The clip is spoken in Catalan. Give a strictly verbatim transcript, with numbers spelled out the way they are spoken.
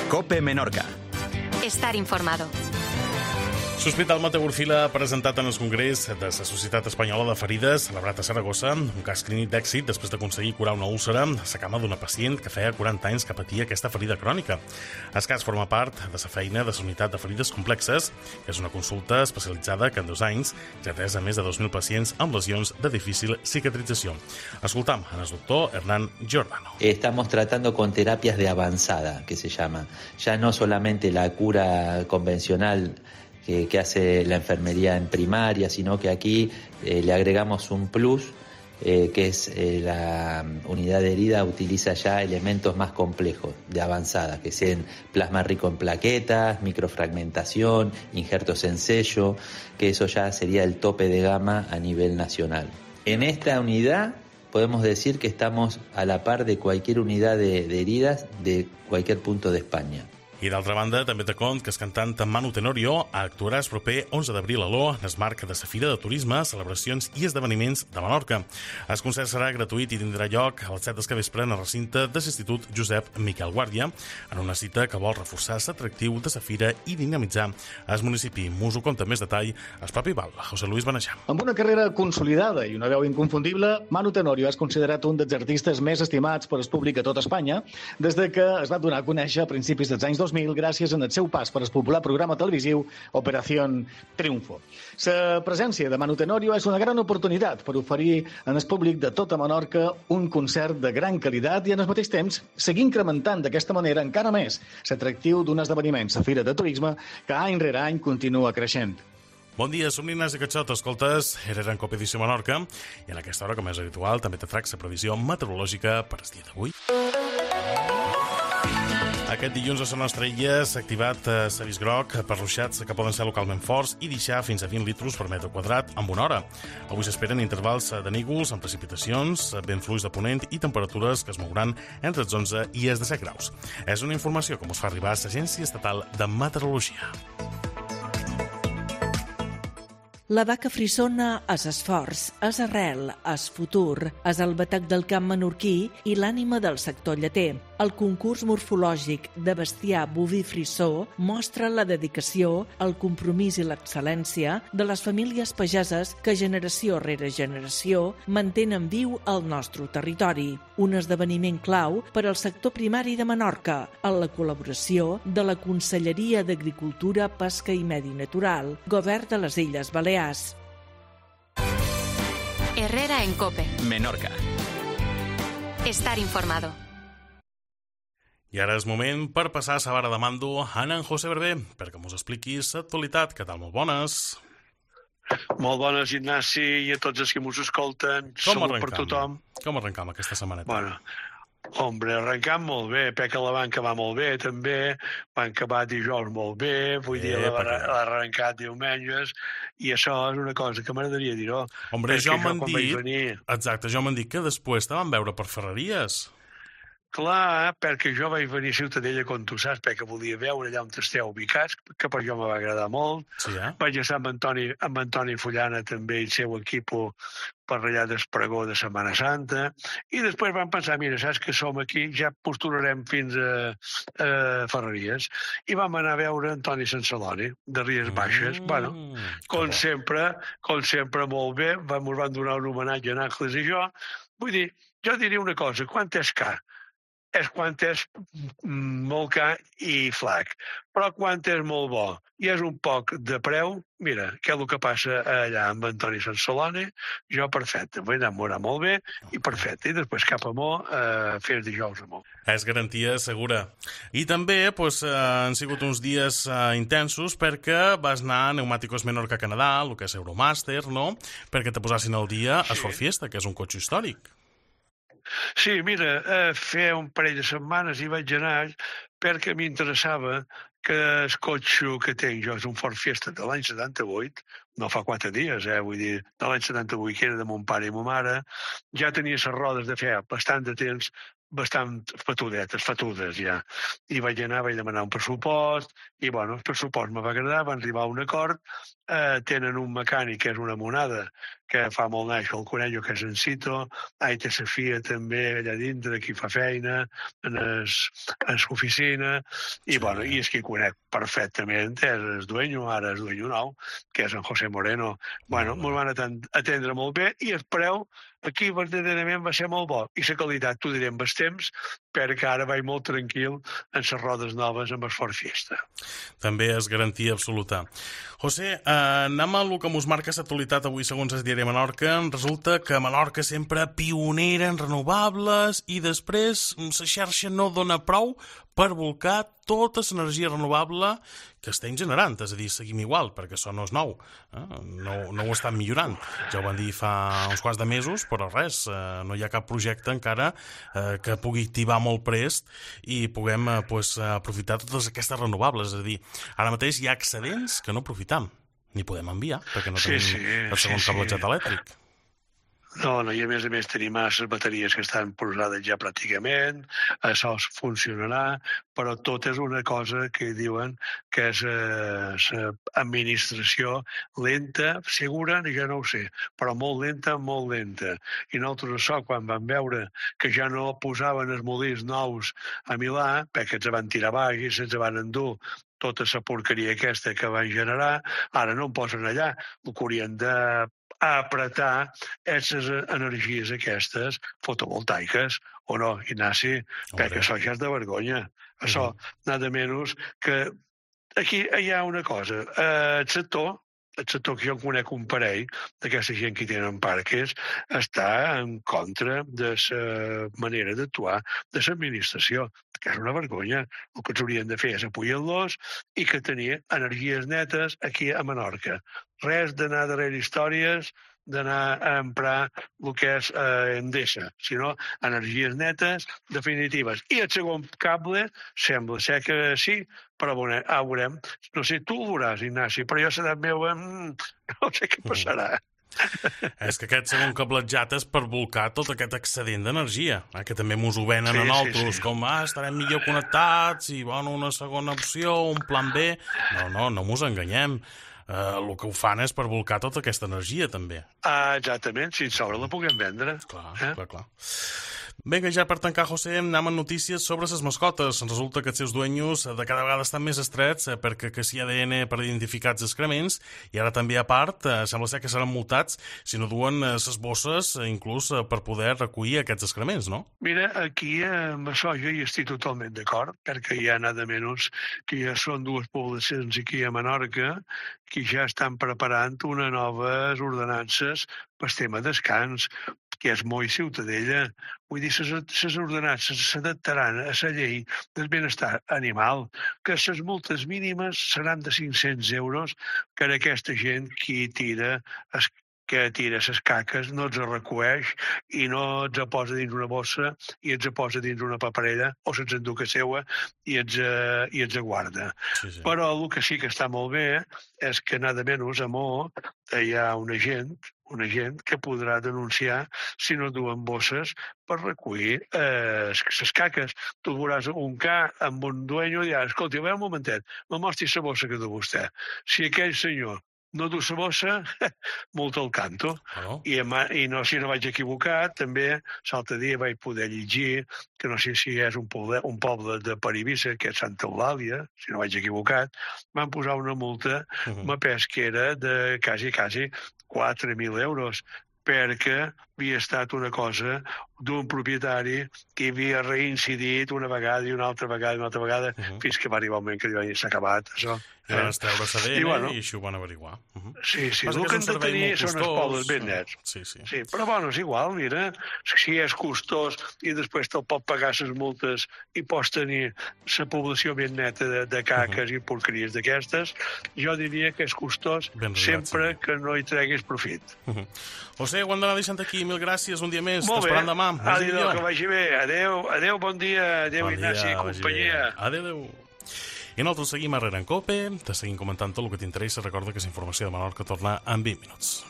COPE Menorca. Estar informado. L'Hospital Mateu Orfila ha presentat en el Congrés de la Societat Espanyola de Ferides, celebrat a Saragossa, un cas clínic d'èxit després d'aconseguir curar una úlcera a la cama d'una pacient que feia quaranta anys que patia aquesta ferida crònica. El cas forma part de la feina de la Unitat de Ferides Complexes, que és una consulta especialitzada que en dos anys ja ha atès a més de dos mil pacients amb lesions de difícil cicatrització. Escoltam en el doctor Hernán Giordano. Estamos tratando con terapias de avanzada, que se llama. Ya no solamente la cura convencional que, que hace la enfermería en primaria, sino que aquí eh, le agregamos un plus, eh, que es eh, la unidad de herida utiliza ya elementos más complejos, de avanzada, que sean plasma rico en plaquetas, microfragmentación, injertos en sello, que eso ya sería el tope de gama a nivel nacional. En esta unidad podemos decir que estamos a la par de cualquier unidad de, de heridas de cualquier punto de España. I d'altra banda, també te cont que el cantant Manu Tenorio actuarà el proper onze d'abril a l'O, en el marc de la Fira de Turisme, celebracions i esdeveniments de Menorca. El concert serà gratuït i tindrà lloc a les set del capvespre en el recinte de l'Institut Josep Miquel Guàrdia, en una cita que vol reforçar l'atractiu de la fira i dinamitzar el municipi. M'us ho conta més detall el propi Val, José Luis Beneixam. Amb una carrera consolidada i una veu inconfundible, Manu Tenorio és considerat un dels artistes més estimats per el públic a tot Espanya des de que es va donar a conèixer a principis dels anys dos mil gràcies al seu pas per el popular programa televisiu Operación Triunfo. La presència de Manu Tenorio és una gran oportunitat per oferir al públic de tota Menorca un concert de gran qualitat i, al mateix temps, seguir incrementant d'aquesta manera encara més l'atractiu d'un esdeveniment, la Fira de Turisme, que any rere any continua creixent. Bon dia, som l'Ignasi Catxot, escoltes Herrera en Copa Edició Menorca, i en aquesta hora, com és habitual, també te trac la previsió meteorològica per el dia d'avui. Aquest dilluns a la nostra illa s'ha activat l'avís groc per ruixats que poden ser localment forts i deixar fins a vint litros per metre quadrat en una hora. Avui s'esperen intervals de nígols amb precipitacions, vent fluix de ponent i temperatures que es mouran entre els onze i els disset graus. És una informació que ens fa arribar l'Agència Estatal de Meteorologia. La vaca frissona és esforç, és arrel, és futur, és el batec del camp menorquí i l'ànima del sector lleter. El concurs morfològic de bestiar boví frissó mostra la dedicació, el compromís i l'excel·lència de les famílies pageses que generació rere generació mantenen viu el nostre territori. Un esdeveniment clau per al sector primari de Menorca, amb la col·laboració de la Conselleria d'Agricultura, Pesca i Medi Natural, Govern de les Illes Balears. Herrera en Cope. Menorca. Estar informado. I ara és moment per passar a la vara de mando a en José Berber, perquè mos expliquis l'actualitat. Què tal? Molt bones. Molt bones, Ignasi, i a tots els que mos escolten. Com Salut per arrencam? tothom. Com arrencam aquesta setmaneta? Bueno, hombre, arrencam molt bé. Peca la banca va molt bé, també. Van acabar dijous molt bé. Vull dir, Eh, l'ha perquè- l'ha arrencat diumenges. I això és una cosa que m'agradaria dir-ho. Hombre, Perquè jo m'han quan vaig dit... venir- Exacte, jo m'han dit que després te van veure per Ferreries. Clar, perquè jo vaig venir a Ciutadella, com tu saps, perquè volia veure allà on esteu ubicats, que per jo me va agradar molt. Sí, eh? Vaig estar amb Antoni, amb Antoni Fullana també i el seu equip per allà d'Espregó de Setmana Santa, i després vam pensar, mira, saps que som aquí, ja posturarem fins a, a Ferreries, i vam anar a veure Antoni Sansaloni, de Ries Baixes. Mm, bueno, com sempre, com sempre, molt bé, vam, us van donar un homenatge a Nàcles i jo. Vull dir, jo diria una cosa, quant és car? És quan és molt car i flac. Però quan és molt bo i és un poc de preu, mira, què és el que passa allà amb Antoni Sansaloni, jo perfecte, vull enamorar molt bé i perfecte. I després cap a Mo, eh, fer dijous a Mo. És garantia segura. I també pues, eh, han sigut uns dies eh, intensos perquè vas anar a Neumáticos Menorca Canadà, el que és Euromaster, no? Perquè te posassin al dia a Ford Fiesta, que és un cotxe històric. Sí, mira, eh, feia un parell de setmanes hi vaig anar perquè m'interessava que el cotxe que tinc jo és un Ford Fiesta de l'any setanta-vuit, no fa quatre dies, eh, vull dir, de l'any setanta-vuit, que era de mon pare i ma mare, ja tenia les rodes de feia bastant de temps, bastant fatudetes, fatudes ja. I vaig anar, vaig demanar un pressupost, i bueno, el pressupost me va agradar, van arribar a un acord, eh, tenen un mecànic que és una monada, que fa molt naix el conello, que és en Cito, Aita Safia també allà dintre, qui fa feina, en l'oficina, i, sí. bueno, i és qui conec perfectament, és el dueño, ara és dueño nou, que és en José Moreno. Bueno, mm. m'ho van atendre molt bé, i el preu aquí verdaderament va ser molt bo. I la qualitat, t'ho diré amb els temps, perquè ara vaig molt tranquil en les rodes noves amb el Ford Fiesta. També és garantia absoluta. José, eh, anem a el que mos marca l'actualitat avui segons el diari Menorca. Resulta que Menorca sempre pionera en renovables i després la xarxa no dona prou per volcar tota l'energia renovable que estem generant. És a dir, seguim igual, perquè això no és nou. Eh? No, no ho estan millorant. Ja ho van dir fa uns quants de mesos, però res, eh, no hi ha cap projecte encara eh, que pugui activar molt prest i puguem eh, pues, aprofitar totes aquestes renovables. És a dir, ara mateix hi ha excedents que no aprofitam, ni podem enviar, perquè no tenim sí, sí, el segon sí, cablejat sí. elèctric. No, no, i a més a més tenim les bateries que estan posades ja pràcticament, això funcionarà, però tot és una cosa que diuen que és l'administració lenta, segura, ja no ho sé, però molt lenta, molt lenta. I nosaltres això, quan vam veure que ja no posaven els molins nous a Milà, perquè ens van tirar baix i se'ns van endur tota la porqueria aquesta que van generar, ara no en posen allà, el que haurien de a apretar aquestes energies aquestes fotovoltaiques, o no, Ignasi? Perquè això ja és de vergonya. Això, nada menys que... Aquí hi ha una cosa. El sector, el sector que jo conec un parell d'aquesta gent que tenen parques, està en contra de la manera d'actuar de l'administració, que és una vergonya. El que ens haurien de fer és apoyar-los i que tenir energies netes aquí a Menorca. Res d'anar darrere històries, d'anar a emprar el que és eh, Endesa, sinó energies netes, definitives. I el segon cable sembla ser que sí, però bueno, ah, veurem. No sé, tu el veuràs, Ignasi, però jo l'edat meva mm, no sé què passarà. És que aquest segon cablejat és per volcar tot aquest excedent d'energia, eh, que també mos ho venen sí, a nosaltres, sí, sí. com ah, estarem millor connectats i bueno, una segona opció, un plan B. No, no, no mos enganyem. Uh, el que ho fan és per volcar tota aquesta energia, també. Ah, exactament, si sobre la puguem vendre. Clar, eh? clar, clar. Vinga, ja per tancar, José, anem amb notícies sobre les mascotes. Resulta que els seus dueños de cada vegada estan més estrets eh, perquè que si A D N per identificar els excrements i ara també a part eh, sembla ser que seran multats si no duen les eh, bosses eh, inclús eh, per poder recollir aquests excrements, no? Mira, aquí eh, amb això jo hi estic totalment d'acord, perquè hi ha nada menys que ja són dues poblacions aquí a Menorca que ja estan preparant unes noves ordenances pel tema descans, que és molt ciutadella. Vull dir, les ordenances s'adaptaran a la llei del benestar animal, que les multes mínimes seran de cinc-cents euros per a aquesta gent qui tira es que tira les caques, no els recueix i no els posa dins una bossa i els posa dins una paperella o se'ls endú que seua i els, uh, i els guarda. Sí, sí. Però el que sí que està molt bé és que nada menys a Mo hi ha una gent, una gent que podrà denunciar si no duen bosses per recollir eh, les caques. Tu veuràs un ca amb un dueño i diràs, escolta, a veure un momentet, me mostri la bossa que du vostè. Si aquell senyor no du la bossa, multa al canto. Oh. I, I no, si no vaig equivocar, també l'altre dia vaig poder llegir que no sé si és un poble, un poble de Paribissa, que és Santa Eulàlia, si no vaig equivocat, van posar una multa, uh-huh. me pes que era de quasi, quasi quatre mil euros, perquè havia estat una cosa d'un propietari que havia reincidit una vegada i una altra vegada i una altra vegada, uh-huh. fins que va arribar un moment que s'ha acabat, això. I van estreure A D N i, bueno, i així ho van averiguar. Uh-huh. Sí, sí, el que, que hem de tenir són els pobles ben nets. Sí, sí. Sí, però bueno, és igual, mira, si és costós i després te'l pot pagar les multes i pots tenir la població ben neta de, de caques uh-huh. i porqueries d'aquestes, jo diria que és costós ben sempre sí. que no hi treguis profit. Uh-huh. José, ho hem d'anar deixant aquí. Mil gràcies, un dia més. T'esperem demà. Adéu, que vagi bé. Adéu, adéu, bon dia. Adéu, bon Ignasi i companyia. Adéu, adéu. I nosaltres seguim a Rere en Cope, te seguim comentant tot el que t'interessa. Recorda que la informació de Menorca torna en vint minuts.